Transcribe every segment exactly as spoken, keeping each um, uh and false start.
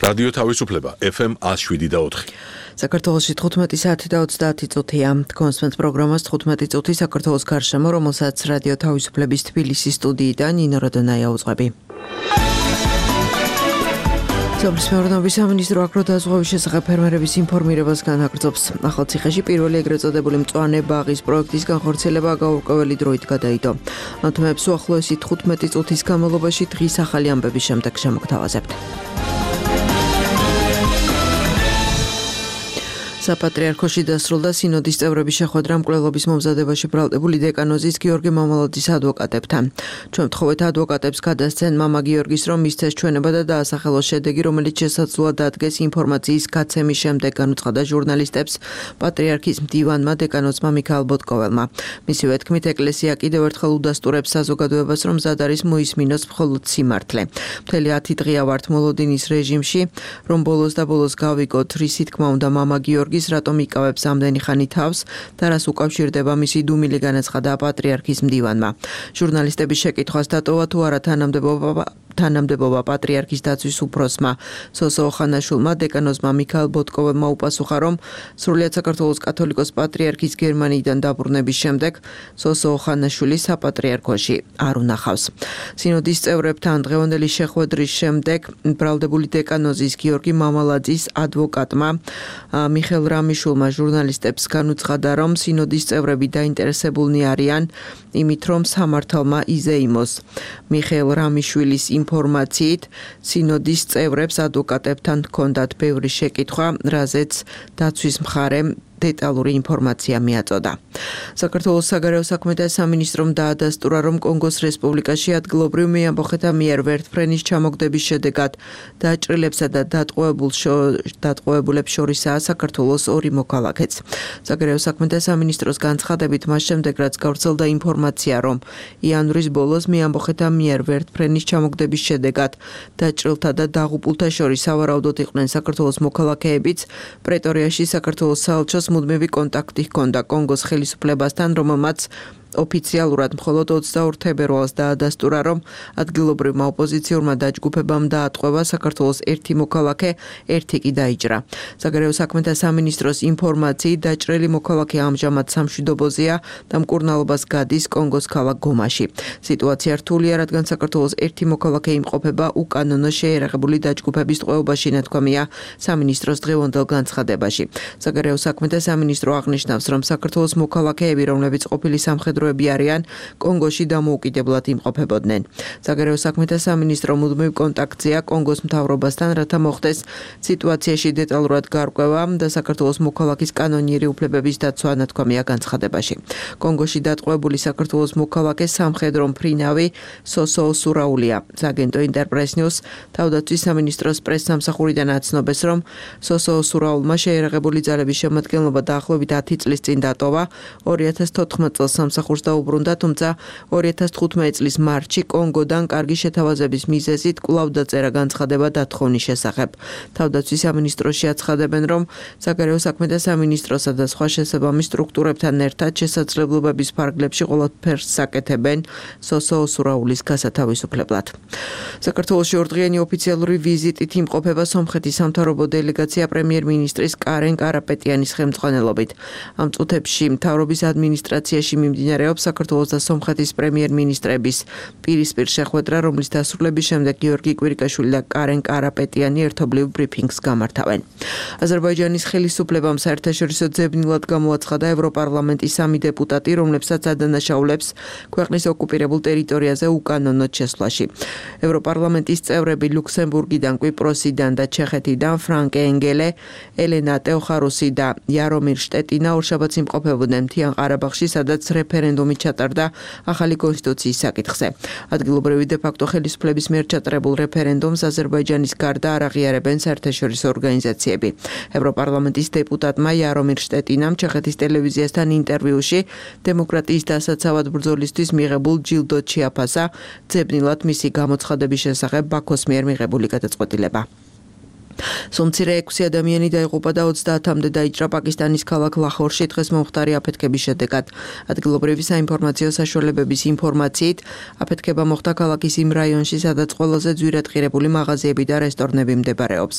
რადიო თავისუფლება ეფ ემ one oh seven და four. საქართველოში თხუთმეტი საათი და ოცდაათი წუთია. თქვენს პროგრამას თხუთმეტი წუთი საქართველოს გარშემო, რომელსაც რადიო თავისუფლების თბილისის სტუდიიდან ნინო როდონაია უძღვები. სოფლის მეურნეობის სამინისტრო აგროდაზღვევის შესახებ ფერმერების ინფორმირებას განაგრძობს. ახალციხეში პირველი ეგრეთ წოდებული მწვანე ბაღის პროექტის განხორციელება გაურკვეველი დროით გადაიდო. ამ თემებს უახლოესი თხუთმეტი წუთის განმავლობაში დღის ახალი ამბების შემდეგ შემოგთავაზებთ. საპატრიარქოში დასრულდა სინოდის წევრების შეხვედრა მკვლელობის მომზადებაში ბრალდებული დეკანოზის გიორგი მამალაძის ადვოკატებთან. ჩვენ ვთხოვეთ ადვოკატებს გადასცენ მამა გიორგის, რომ მისცეს ჩვენება და დაასახელოს შედეგი, რომელიც შესაძლოა დადგეს ინფორმაციის გაცემის შემდეგ, განუცხადა ჟურნალისტებს პატრიარქის მდივანმა დეკანოზმა მიქაელ ბოტკოველმა. მისივე თქმით, ეკლესია კიდევ ერთხელ უდასტურებს საზოგადოებას, რომ მზად არის მოისმინოს მხოლოდ სიმართლე. მთელი ათი დღეა ვართ მოლოდინის რეჟიმში, რომ ბოლოს და ბოლოს გავიგოთ, რისი თქმა უნდა მამა გიორგი რატომ იკავებს ამდენი ხანი თავს და რას უკავშირდება მისი დუმილი, განაცხადა პატრიარქის მდივანმა. ჟურნალისტების შეკითხვას დატოვა თუ არა თანამდებობა თანამდებობა პატრიარქის დაცვის უფროსმა სოსო ოხანაშვილმა დეკანოზმა მიქაელ ბოტკოველმა უპასუხა, რომ სრულიად საქართველოს კათოლიკოს პატრიარქის გერმანიიდან დაბრუნების შემდეგ სოსო ოხანაშვილი საპატრიარქოში არ უნახავს. სინოდის წევრებთან დღევანდელი შეხვედრის შემდეგ ბრალდებული დეკანოზის გიორგი მამალაძის ადვოკატმა მიხეილ რამიშვილმა ჟურნალისტებს განუცხადა, რომ სინოდის წევრები დაინტერესებულნი არიან იმით, რომ სამართალმა იზეიმოს. მიხეილ რამიშვილის ინფორმაციით სინოდის წევრებს ადვოკატებთან ჰქონდათ ბევრი შეკითხვა, რაზეც დაცვის მხარემ დეტალური ინფორმაცია მიაწოდა. საქართველოს საგარეო საქმეთა სამინისტრომ დაადასტურა, რომ კონგოს რესპუბლიკაში ადგილობრივ მეამბოხეთა მიერ ვერტფრენის ჩამოგდების შედეგად დაჭრილებსა და დატყვევებულებს შორისაა საქართველოს ორი მოქალაქეც. საგარეო საქმეთა სამინისტროს განცხადებით, მას შემდეგ რაც გავრცელდა ინფორმაცია, რომ იანვრის ბოლოს მეამბოხეთა მიერ ვერტფრენის ჩამოგდების შედეგად დაჭრილთა და დაღუპულთა შორის სავარაუდოდ იყვნენ საქართველოს მოქალაქეებიც, პრეტორიაში საქართველოს საელჩოს მუდმივი კონტაქტი ჰქონდა კონგოს ხელისუფლებასთან, რომელმაც ოფიციალურად მხოლოდ ოცდაორ თებერვალს დაადასტურა, რომ ადგილობრივმა ოპოზიციურმა დაჯგუფებამ დაატყვევა საქართველოს ერთი მოქალაქე, ერთი კი დაიჭრა. საგარეო საქმეთა სამინისტროს ინფორმაციით, დაჭრილი მოქალაქე ამჟამად სამშვიდობოზეა და მკურნალობას გადის კონგოს ქალაქ გომაში. სიტუაცია რთულია, რადგან საქართველოს ერთი მოქალაქე იმყოფება უკანონო შეიარაღებული დაჯგუფების ტყვეობაში, ნათქვამია სამინისტროს დღევანდელ განცხადებაში. საგარეო საქმეთა სამინისტრო აღნიშნავს, რომ საქართველოს მოქალაქეები, რომლებიც ყოფილი სამხედრო არიან, კონგოში დამოუკიდებლად იმყოფებოდნენ. საგარეო საქმეთა სამინისტრო მუდმივ კონტაქტზეა კონგოს მთავრობასთან, რათა მოხდეს სიტუაციაში დეტალურად გარკვევა და საქართველოს მოქალაქის კანონიერი უფლებების დაცვა, ნათქვამია განცხადებაში. კონგოში დატყვევებული საქართველოს მოქალაქე სამხედრო მფრინავი სოსო ოსურაულია. საგენტო ინტერპრეს ნიუს თავდაცვის სამინისტროს პრესსამსახურიდან აცნობს, რომ სოსო ოსურაულმა შეიარაღებული ძალების შემადგენლობა დაახლოებით ათი წლის წინ დატოვა, ორი ათას თოთხმეტ წელს სამსახურს დაუბრუნდა, თუმცა ორი ათას თხუთმეტ წლის მარტში კონგოდან კარგი შეთავაზების მიზეზით კვლავ დაწერა განცხადება დათხოვნის შესახებ. თავდაცვის სამინისტროში აცხადებენ, რომ საგარეო საქმეთა სამინისტროსა და სხვა შესაბამის სტრუქტურებთან ერთად შესაძლებლობების ფარგლებში ყველაფერს საკეთებენ სოსო ოსურაულის გასათავისუფლებლად. საქართველოში ორდღიანი ოფიციალური ვიზიტით იმყოფება სომხეთის სამთავრობო დელეგაცია პრემიერ-მინისტრის კარენ კარაპეტიანის ხელმძღვანელობით. ამ წუთებში მთავრობის ადმინისტრაციაში მიმდინარეობს საქართველოს და სომხეთის პრემიერ-მინისტრების პირისპირ შეხვედრა, რომლის დასრულების შემდეგ გიორგი კვირიკაშვილი და კარენ კარაპეტიანი ერთობლივ ბრიფინგს გამართავენ. აზერბაიჯანის ხელისუფლებამ საერთაშორისო ძებნილად გამოაცხადა ევროპარლამენტის სამი დეპუტატი, რომლებსაც ადანაშაულებს ქვეყნის ოკუპირებულ ტერიტორიაზე უკანონოდ შესვლაში. ევროპარლამენტის წევრები ლუქსემბურგიდან, კვიპროსიდან და ჩეხეთიდან ფრანკ ენგელე, ელენა ტეოხარუსი და იარომირ შტეტინა ორშაბათს იმყოფებოდნენ მთიან ყარაბაღში, სადაც რეფერენდუმი ჩატარდა ახალი კონსტიტუციის საკითხზე. ადგილობრივი დე-ფაქტო ხელისუფლების მიერ ჩატარებულ რეფერენდუმს აზერბაიჯანის გარდა არ აღიარებენ საერთაშორისო ორგანიზაციები. ევროპარლამენტის დეპუტატმა იარომირ შტეტინამ ჩეხეთის ტელევიზიასთან ინტერვიუში დემოკრატიის დასაცავად ბრძოლისთვის მიღებულ ჯილდოდ შეაფასა ძებნილად მისი გამოცხადების შესახებ ბაქოს მიერ მიღებული გადაწყვეტილება. სულ ექვსი ადამიანი დაიღუპა და ოცდაათამდე დაიჭრა პაკისტანის ქალაქ ლაჰორში დღეს მომხდარი აფეთქების შედეგად. ადგილობრივი საინფორმაციო საშუალებების ინფორმაციით, აფეთქება მოხდა ქალაქის იმ რაიონში, სადაც ყველაზე ძვირადღირებული მაღაზიები და რესტორნები მდებარეობს.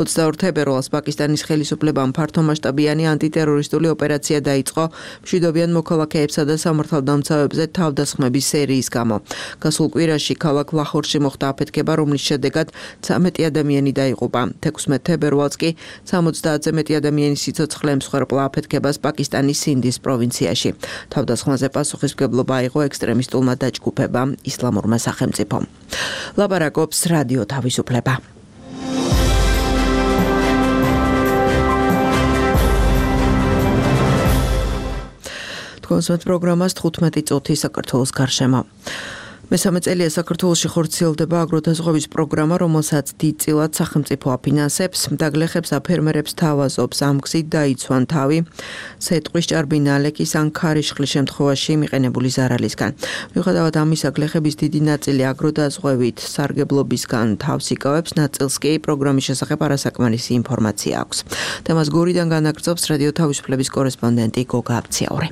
ოცდაორ თებერვალს პაკისტანის ხელისუფლებამ ფართომასშტაბიანი ანტიტერორისტული ოპერაცია დაიწყო მშვიდობიან მოქალაქეებსა და სამართალდამცავებზე თავდასხმების სერიის გამო. გასულ კვირაში ქალაქ ლაჰორში მოხდა აფეთქება, რომლის შედეგად ცამეტი ადამიანი დაიღუპა. ექვსმეტ თებერვალს კი სამოცდაათზე მეტი ადამიანის სიცოცხლე ემსხვერპლა აფეთქებას პაკისტანის სინდის პროვინციაში. თავდასხმაზე პასუხისმგებლობა აიღო ექსტრემისტულმა დაჯგუფებამ ისლამურმა სახელმწიფომ. ლაპარაკობს რადიო თავისუფლება. კონსვენთ პროგრამას თხუთმეტი წუთი საქართველოს გარშემო. მესამე წელია საქართველოში ხორციელდება აგროდაზღვევის პროგრამა, რომელსაც დიდწილად სახელმწიფო აფინანსებს, დაგლეხებს და ფერმერებს თავაზობს ამ გზით დაიცვან თავი სეტყვის ჭარბი ნალექის ან ქარიშხლის შემთხვევაში მიყენებული ზარალისგან. მიუხედავად ამისა, გლეხების დიდი ნაწილი აგროდაზღვევით სარგებლობისგან თავს იკავებს, ნაწილს კი პროგრამის შესახებ არასაკმარისი ინფორმაცია აქვს. თემას გორიდან განაგრძობს რადიო თავისუფლების კორესპონდენტი გოგა აბციაური.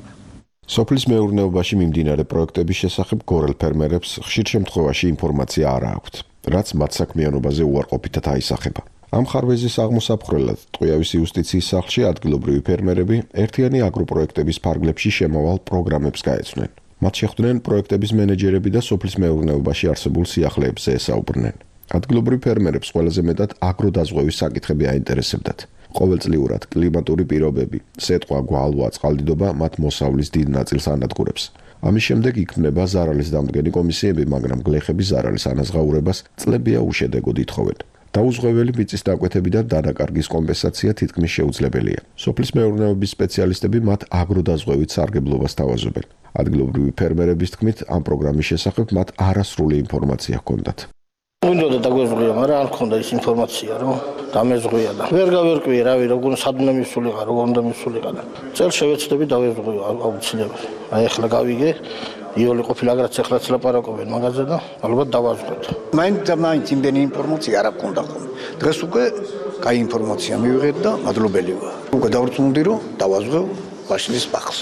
სოფლის მეურნეობაში მიმდინარე პროექტების შესახებ გორელ ფერმერებს ხშირ შემთხვევაში ინფორმაცია არ აქვთ, რაც მათ საქმიანობაზე უარყოფითად აისახება. ამ ხარვეზის აღმოსაფხრელად ტყვიავის იუსტიციის სახლში ადგილობრივი ფერმერები ერთიანი აგროპროექტების ფარგლებში შემავალ პროგრამებს გაეცნენ. მათ შეხვდნენ პროექტების მენეჯერები და სოფლის მეურნეობაში არსებულ სიახლეებზე ესაუბრნენ. ადგილობრივ ფერმერებს ყველაზე მეტად აგროდაზღვევის საკითხები აინტერესებდათ. ყოველწლიურად კლიმატური პირობები, სეტყვა, გვალვა, წყალდიდობა მათ მოსავლის დიდ ნაწილს ანადგურებს. ამის შემდეგ იქმნება ზარალის დამდგენი კომისიები, მაგრამ გლეხების ზარალის ანაზღაურებას წლებია უშედეგოდ ითხოვენ. დაუზღვეველი მიწის დაკვეთებიდან დანაკარგის კომპენსაცია თითქმის შეუძლებელია. სოფლის მეურნეობის სპეციალისტები მათ აგროდაზღვევით სარგებლობას თავაზობენ. ადგილობრივი ფერმერების თქმით, ამ პროგრამის შესახებ მათ არასრული ინფორმაცია ჰქონდათ. მინდოდა დაგვეძღვია, მაგრამ არ მქონდა ის ინფორმაცია, რომ დამეძღვია და ვერ გავერკვიე, რავი, როგორ სადმე მისულიყა, როგორ უნდა მისულიყა და წელს შევეცდები დავეძღვია აუცილებლად. აი ახლა გავიგე, იოლი ყოფილა, აგრაც ახლაც ლაპარაკობენ მაგაზე და ალბათ დავაზღვეთ. მაინც და მაინც იმდენი ინფორმაცია არ აქვს ხოლმე. დღეს უკვე კაი ინფორმაცია მივიღეთ და მადლობელი ვარ. უკვე დავრწმუნდი, რომ დავაზღვევ ვაშლის ბაღს.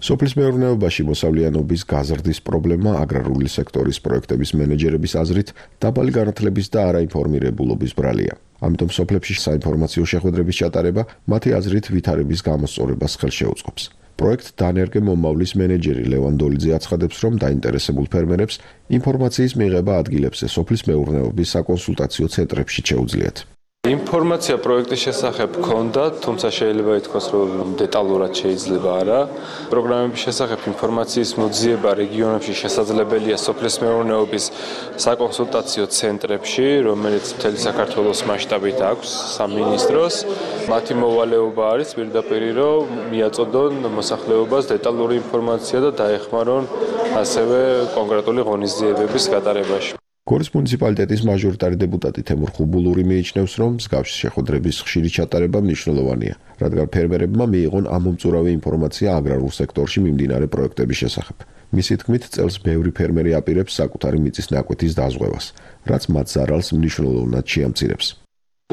სოფლის მეურნეობაში მოსავლიანობის გაზრდის პრობლემა აგრარული სექტორის პროექტების მენეჯერების აზრით დაბალი განათლების და არაინფორმირებულობის ბრალია. ამიტომ სოფლებში საინფორმაციო შეხვედრების ჩატარება მათი აზრით ვითარების გამოსწორებას ხელშეუწყობს. პროექტ დანერგე მომავლის მენეჯერი ლევან დოლიძე აცხადებს, რომ დაინტერესებულ ფერმერებს ინფორმაციის მიღება ადგილებზე სოფლის მეურნეობის საკონსულტაციო ცენტრებში შეუძლიათ. ინფორმაცია პროექტის შესახებ ჰქონდა, თუმცა შეიძლება ითქვას, რომ დეტალურად შეიძლება არა. პროგრამების შესახებ ინფორმაციის მოძიება რეგიონებში შესაძლებელია სოფლის მეურნეობის საკონსულტაციო ცენტრებში, რომელიც მთელი საქართველოს მასშტაბით აქვს სამინისტროს. მათი მოვალეობა არის პირდაპირ, რომ მიაწოდონ მოსახლეობას დეტალური ინფორმაცია და დაეხმარონ ასევე კონკრეტული ღონისძიებების გატარებაში. გორის მუნიციპალიტეტის მაჟორიტარი დეპუტატი თემურ ხუბულური მიიჩნევს, რომ მსგავსი შეხვედრების ხშირი ჩატარება მნიშვნელოვანია, რადგან ფერმერებმა მიიღონ ამომწურავი ინფორმაცია აგრარულ სექტორში მიმდინარე პროექტების შესახებ. მისი თქმით, წელს ბევრი ფერმერი აპირებს საკუთარი მიწის ნაკვეთის დაზღვევას, რაც მათ ზარალს მნიშვნელოვნად შეამცირებს.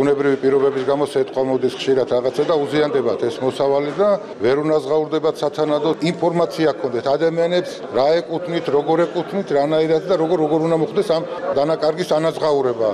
ბუნებრივი პირობების გამო სეტყვა მოდის ხშირად რაღაცა და უზიანდებათ ეს მოსავალი და ვერ უნაზღაურდებათ სათანადო ინფორმაცია გქონდეთ ადამიანებს, რა ეკუთვნით, როგორ ეკუთვნით, რანაირად და როგორ როგორ უნდა მოხდეს ამ დანაკარგის ანაზღაურება.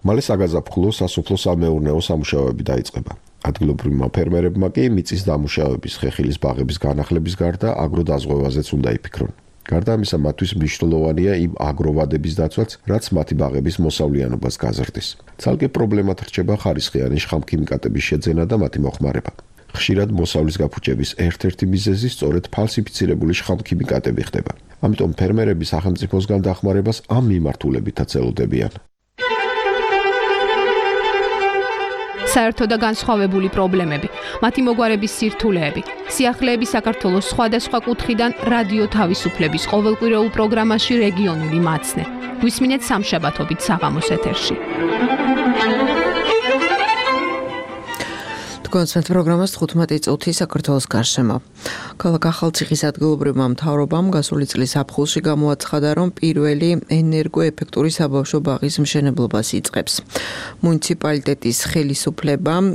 მალე საგაზაფხულო სასოფლო-სამეურნეო სამუშაოები დაიწყება. ადგილობრივმა ფერმერებმა კი მიწის დამუშავების, ხეხილის ბაღების განახლების გარდა აგროდაზღვევაზეც უნდა იფიქრონ. გარდა ამისა, მათთვის მნიშვნელოვანია იმ აგროვადების დაცვაც, რაც მათი ბაღების მოსავლიანობას გაზრდის. ცალკე პრობლემად რჩება ხარისხიანი შხამქიმიკატების შეძენა და მათი მოხმარება. ხშირად მოსავლის გაფუჭების ერთ-ერთი მიზეზი სწორედ ფალსიფიცირებული შხამქიმიკატები ხდება. ამიტომ ფერმერები სახელმწიფოსგან დახმარებას ამ მიმართულებითაც ელოდებიან. საერთო და განსხვავებული პრობლემები, მათი მოგვარების სირთულეები, სიახლეები საქართველოს სხვადასხვა კუთხიდან რადიო თავისუფლების ყოველკვირეულ პროგრამაში რეგიონული მაცნე. გვისმინეთ სამშაბათობით საღამოს ეთერში. კონცერტ პროგრამას თხუთმეტი წუთი საქართველოს გარშემო. ქალაქ ახალციხის ადგილობრივმა მთავრობამ გასული წლის აპრილში გამოაცხადა, რომ პირველი ენერგოეფექტური საბავშვო ბაღის მშენებლობას იწყებს. მუნიციპალიტეტის ხელისუფლებამ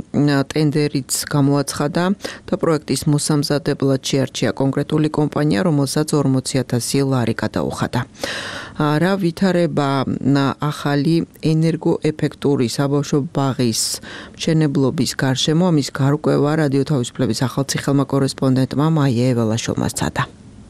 ტენდერიც გამოაცხადა და პროექტის მოსამზადებლად შეარჩია კონკრეტული კომპანია, რომელსაც ორმოცი ათასი ლარი გადაუხადა. რა ვითარება ახალი ენერგოეფექტური საბავშვო ბაღის მშენებლობის გარშემო, ამის გარკვევა რადიო თავისუფლების ახალციხელმა კორესპონდენტმა მაია ეველაშვილმა სცადა.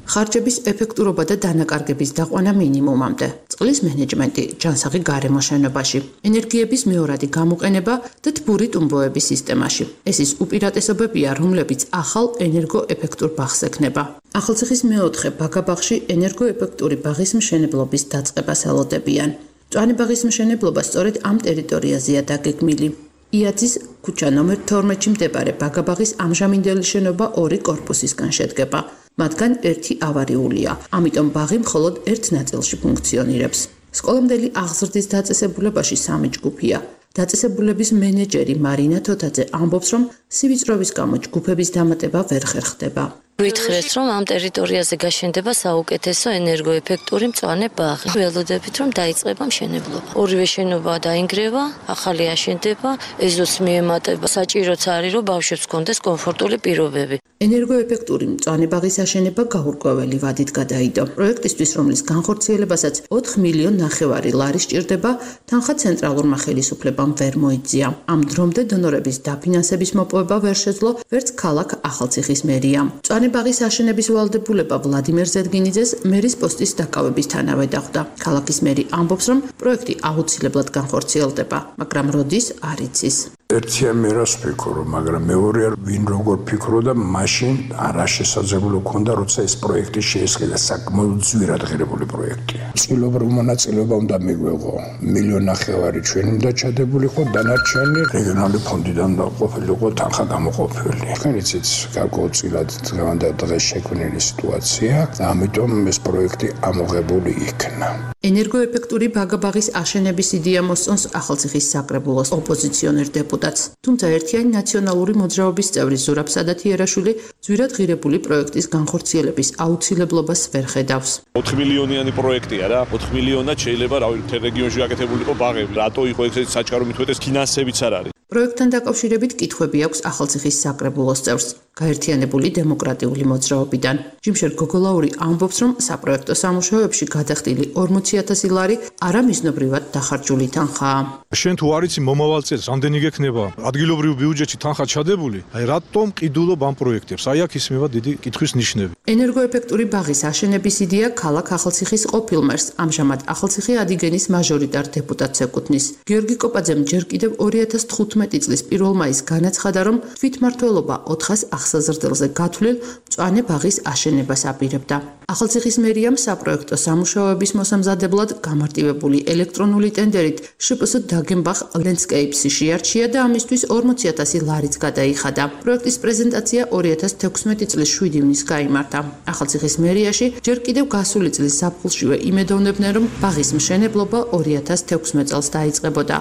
ხარჯების ეფექტურობა და დანაკარგების დაყვანა მინიმუმამდე, წყლის მენეჯმენტი, ჯანსაღი გარემო შენობაში, ენერგიების მეორადი გამოყენება და თბური ტუმბოების სისტემაში. ეს ის უპირატესობებია, რომლებიც ახალ ენერგოეფექტურ ბაღს ექნება. ახალციხის მეოთხე ბაგაბაღში ენერგოეფექტური ბაღის მშენებლობის დაწყებას ელოდებიან. მწვანე ბაღის მშენებლობა სწორედ ამ ტერიტორიაზეა დაგეგმილი. იაძის ქუჩა ნომერ თორმეტში მდებარე ბაგაბაღის ამჟამინდელი შენობა ორი კორპუსისგან შედგება. მათგან ერთი ავარიულია, ამიტომ ბაღი მხოლოდ ერთ ნაწილში ფუნქციონირებს. სკოლამდელი აღზრდის დაწესებულებაში სამი ჯგუფია. დაწესებულების მენეჯერი მარინა თოთაძე ამბობს, რომ სივიწროვის გამო ჯგუფების დამატება ვერ ხერხდება. ვითხრეს, რომ ამ ტერიტორიაზე გაშენდება საუკეთესო ენერგოეფექტური მწვანე ბაღი. ველოდებით, რომ დაიწყება მშენებლობა. ორივე შენობა დაინგრევა, ახალი აშენდება, ეზოს მიემატება. საჭიროც არის, რომ ბავშვებს ჰქონდეს კომფორტული პირობები. ენერგოეფექტური მწვანე ბაღის აშენება გაურკვეველი ვადით გადაიდო. პროექტისთვის, რომლის განხორციელებასაც ოთხ მილიონ ნახევარი ლარი სჭირდება, თანხა ცენტრალურმა ხელისუფლებამ ვერ მოიწია. ამ დრომდე დონორების დაფინანსების მოპოვება ვერ შეძლო, ვერც ქალაქ ახალციხის მერიამ. მწვანე ბაღის აშენების ვალდებულება ვლადიმერ ზედგინიძეს მერის პოსტის დაკავებისთანავე დახვდა. ქალაქის მერი ამბობს, რომ პროექტი აუცილებლად განხორციელდება, მაგრამ როდის არ იცის. ერთია მე რას ვფიქრო, მაგრამ მეორეა ვინ როგორ ფიქრობდა, მაშინ არა შესაძლებლო ქონდა, როცა ეს პროექტი შეესყიდა, საკმაოდ ძვირად ღირებული პროექტია. წყილობრივ მონაწილეობა უნდა მიგვეღო. მილიონ ნახევარი ჩვენ უნდა ჩადებულიყო, დანარჩენი რეგიონალური ფონდიდან ყოფილიყო თანხა გამოყოფილი. თქვენ იცით, გარკვეულწილად დღევანდელ დღეს შექმნილი სიტუაცია, ამიტომ ეს პროექტი ამოღებული იქნა. ენერგოეფექტური ბაგაბაღის აშენების იდეა მოსწონს ახალციხის საკრებულოს ოპოზიციონერ დეპუტატს. თუმცა ერთიანი ნაციონალური მოძრაობის წევრი ზურაბ სადათიერაშვილი ძვირად ღირებული პროექტის განხორციელების აუცილებლობას ვერ ხედავს. ოთხ მილიონიანი პროექტია რა, ოთხ მილიონად შეიძლება რა ვიცი, თელ რეგიონში გაკეთებულიყო ბაღები. რატო იყო ეგრეთ საჩქარო მithვეთეს, ფინანსებიც არ არის. პროექტთან დაკავშირებით კითხვები აქვს ახალციხის საკრებულოს წევრს, გაერთიანებული დემოკრატიული მოძრაობიდან. ჯიმშერ გოგოლაური ამბობს, რომ საპროექტო სამუშაოებში გადახდილი ორმოცი ათასი ლარი არამიზნობრივად დახარჯული თანხაა. შენ თუ არ იცი მომავალ წელს რამდენი გექნება ადგილობრივ ბიუჯეტში თანხა ჩადებული, აი რატომ ყიდულობ ამ პროექტებს? აი აქ ისმევა დიდი კითხვის ნიშნები. ენერგოეფექტური ბაღის აშენების იდეა ქალაქ ახალციხის ყოფილ მერს, ამჟამად ახალციხი ადიგენის მაჟორიტარ დეპუტატს ეკუთვნის. გიორგი კოპაძემ ჯერ კიდევ ორი ათას თხუთმეტი წლის პირველ მაისს განაცხადა, რომ თვითმმართველობა ოთხას აღსაზრდელზე გათვლილ მწვანე ბაღის აშენებას აპირებდა. ახალციხის მერიამ საპროექტო სამუშაოების მოსამზადებლად გამარტივებული ელექტრონული ტენდერით შპს დაგენბახ ლენდსკეიპსი შეარჩია და ამისთვის ორმოცი ათასი ლარიც გადაიხადა. პროექტის პრეზენტაცია ორი ათას თექვსმეტი წლის შვიდი ივნისს გაიმართა. ახალციხის მერიაში ჯერ კიდევ გასული წლის ზაფხულშივე იმედოვნებდნენ, რომ ბაღის მშენებლობა ორი ათას თექვსმეტ წელს დაიწყებოდა.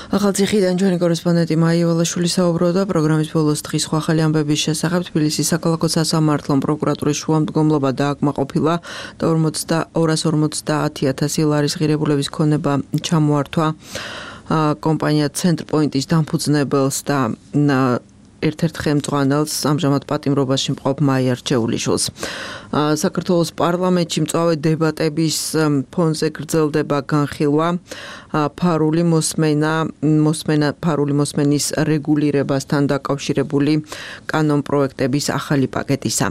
ახალციხიდან ჩვენი კორესპონდენტი მაია ეველაშვილი საუბრობდა პროგრამის ბოლოს დღის სხვა ახალი ამბების შესახებ. თბილისის საქალაქო სასამართლომ პროკურატურის შუამდგომლობა დააკმაყოფილა და ორას ორმოცდაათი ათასი ლარის ღირებულების ქონება ჩამოართვა კომპანია ცენტრპოინტის დამფუძნებელს და ერთ-ერთ ხელმძღვანელს, ამჟამად პატიმრობაში მყოფ მაია რჩეულიშვილს. საქართველოს პარლამენტში მწვავე დებატების ფონზე გრძელდება განხილვა ფარული მოსმენა, მოსმენა ფარული მოსმენის რეგულირებასთან დაკავშირებული კანონ პროექტების ახალი პაკეტისა.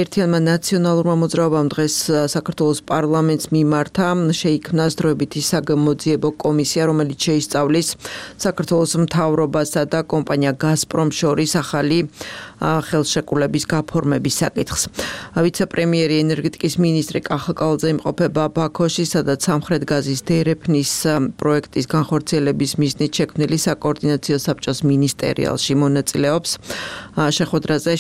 ერთიანმა ნაციონალურმა მოძრაობამ დღეს საქართველოს პარლამენტს მიმართა შეიქმნას დროებითი საგამოძიებო კომისია, რომელიც შეისწავლის საქართველოს მთავრობასა და კომპანია გაზპრომ შორის ახალი ხელშეკრულების გაფორმების საკითხს. ვიცე-პრემიერი ენერგეტიკის მინისტრი კახაკალაძე იმყოფება ბაქოში, სადაც სამხრეთ გაზის დერეფნის პროექტის განხორციელების მიზნით შექმნილი საკოორდინაციო საბჭოს მინისტერიალში მონაწილეობს. შეხვედრაზე